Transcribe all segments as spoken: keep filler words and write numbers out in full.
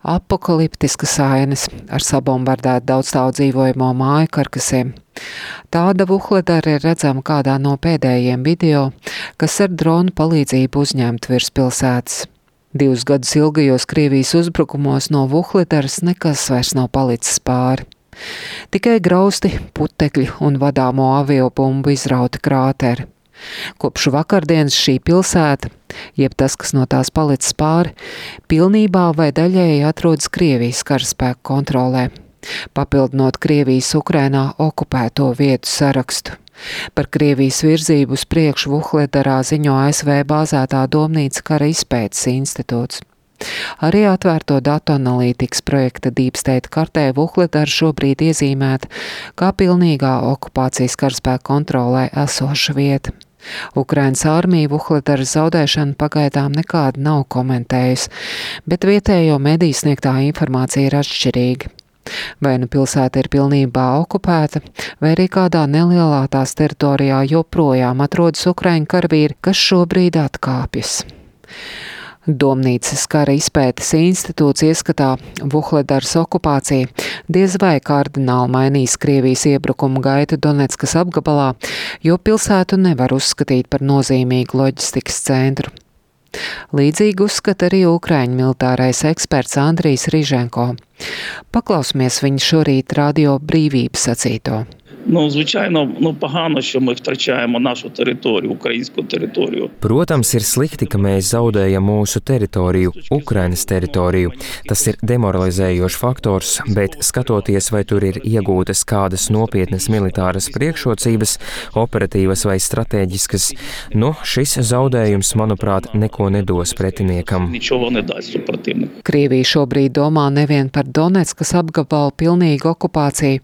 Apokaliptiskas ainas ar sabombardētu daudzstāvu dzīvojamo māju karkasiem. Tāda Vuhledara ir redzama kādā no pēdējiem video, kas ar dronu palīdzību uzņemt virs pilsētas. Divus gadus ilgajos Krievijas uzbrukumos no Vuhledaras nekas vairs nav palicis pāri. Tikai grausti, putekļi un vadāmo aviobumbu izrauti krāteri. Kopš vakardienas šī pilsēta, jeb tas, kas no tās palicis pāri, pilnībā vai daļēji atrodas Krievijas karaspēku kontrolē, papildinot Krievijas Ukrainā okupēto vietu sarakstu. Par Krievijas virzību uz priekšu Vuhledarā ziņo A S V bāzētā Domnīca kara izpētes institūts. Arī atvērto datu analītikas projekta Deep State kartē Vuhledara šobrīd iezīmēta kā pilnīgā okupācijas karaspēku kontrolē esoša vieta. Ukrainas armija Vuhledaras zaudēšanu pagaidām nekāda nav komentējusi, bet vietējo mediju sniegtā informācija ir atšķirīga. Vai nu pilsēta ir pilnībā okupēta, vai arī kādā nelielā tās teritorijā joprojām atrodas ukraiņu karavīri, kas šobrīd atkāpjas. Domnīcas kara izpētes institūts ieskatā Vuhledaras okupācija diez vai kardināli mainīs Krievijas iebrukumu gaitu Doneckas apgabalā, jo pilsētu nevar uzskatīt par nozīmīgu loģistikas centru. Līdzīgi uzskata arī ukraiņu militārais eksperts Andrijs Riženko. Paklausmies viņa šorīt Radio Brīvība sacīto. Ну, звичайно, ну, погано, що ми втрачаємо нашу територію, українську територію. Protams, ir slikti, ka mēs zaudējam mūsu teritoriju, Ukrainas teritoriju. Tas ir demoralizējošs faktors, bet skatoties, vai tur ir iegūtas kādas nopietnas militāras priekšrocības, operatīvas vai stratēģiskas, nu, šis zaudējums, manuprāt, neko nedos pretiniekam. Нічого не дасть супротивнику. Krievija šobrīd domā nevien par Doneckas apgabalu pilnīgu okupāciju,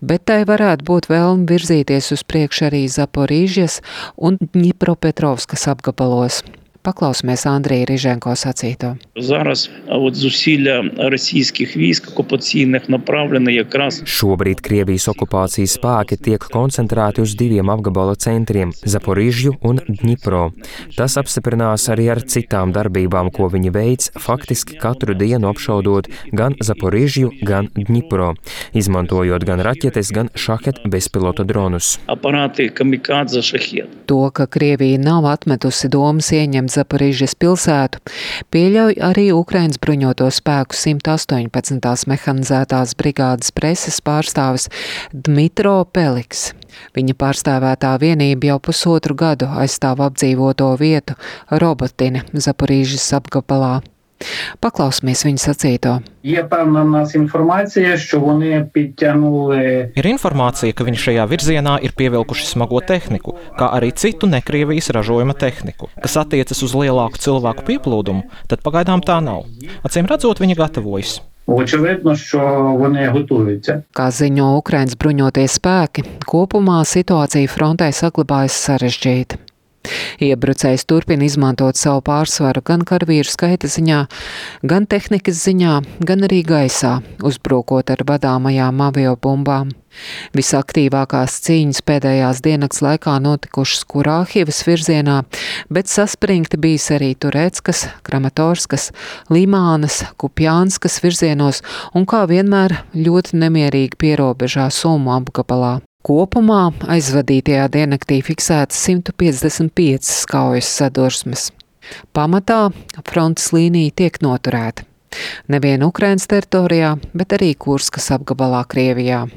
bet tai varētu būt vēlme virzīties uz priekšu arī Zaporīžas un Dņipropetrovskas apgabalos. Paklausmies Andrija Riženko sacīto. Зараз от зусилля російських військ окупаційних направлені якраз Šobrīd Krievijas okupācijas spēki tiek koncentrēti uz diviem apgabala centriem – Zaporīžju un Dņipro. Tas apstiprinās arī ar citām darbībām, ko viņi veic, faktiski katru dienu apšaudot gan Zaporīžju, gan Dņipro, izmantojot gan raķetes, gan šahet bezpilota dronus. апарати камікадзе шахет. To, ka Krievija nav atmetusi domas ieņemt Zaporīžas pilsētu, pieļauj arī Ukrainas bruņoto spēku simt astoņpadsmitās mehanizētās brigādes preses pārstāvis Dmitro Peliks. Viņa pārstāvētā vienība jau pusotru gadu aizstāv apdzīvoto vietu Robotina Zaporīžas apgabalā. Paklausmies viņa sacīto. Є певна в нас інформація, що вони підтягнули Ir informācija, ka viņi šajā virzienā ir pievilkuši smago tehniku, kā arī citu nekrievijas ražojuma tehniku. Kas attiecas uz lielāku cilvēku pieplūdumu, tad pagaidām tā nav. Acīm redzot, viņi gatavojas. очевидно, що вони готуються. Kā ziņo Ukrainas bruņotie spēki, kopumā situācija frontē saglabājas sarežģīta. Iebrucējs turpina izmantot savu pārsvaru gan karavīru skaita ziņā, gan tehnikas ziņā, gan arī gaisā, uzbrukot ar vadāmajām aviobumbām. Visaktīvākās cīņas pēdējās diennakts laikā notikušas Kurāhivas virzienā, bet saspringti bijis arī Tureckas, Kramatorskas, Limānas, Kupjānskas virzienos un kā vienmēr ļoti nemierīgi pierobežā Sumu apgabalā. Kopumā aizvadītajā diennaktī fiksētas simt piecdesmit piecas kaujas sadursmes. Pamatā frontes līnija tiek noturēta. Nevien Ukrainas teritorijā, bet arī Kurskas apgabalā Krievijā.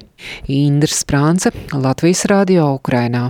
Indra Sprānce, Latvijas Radio Ukrainā.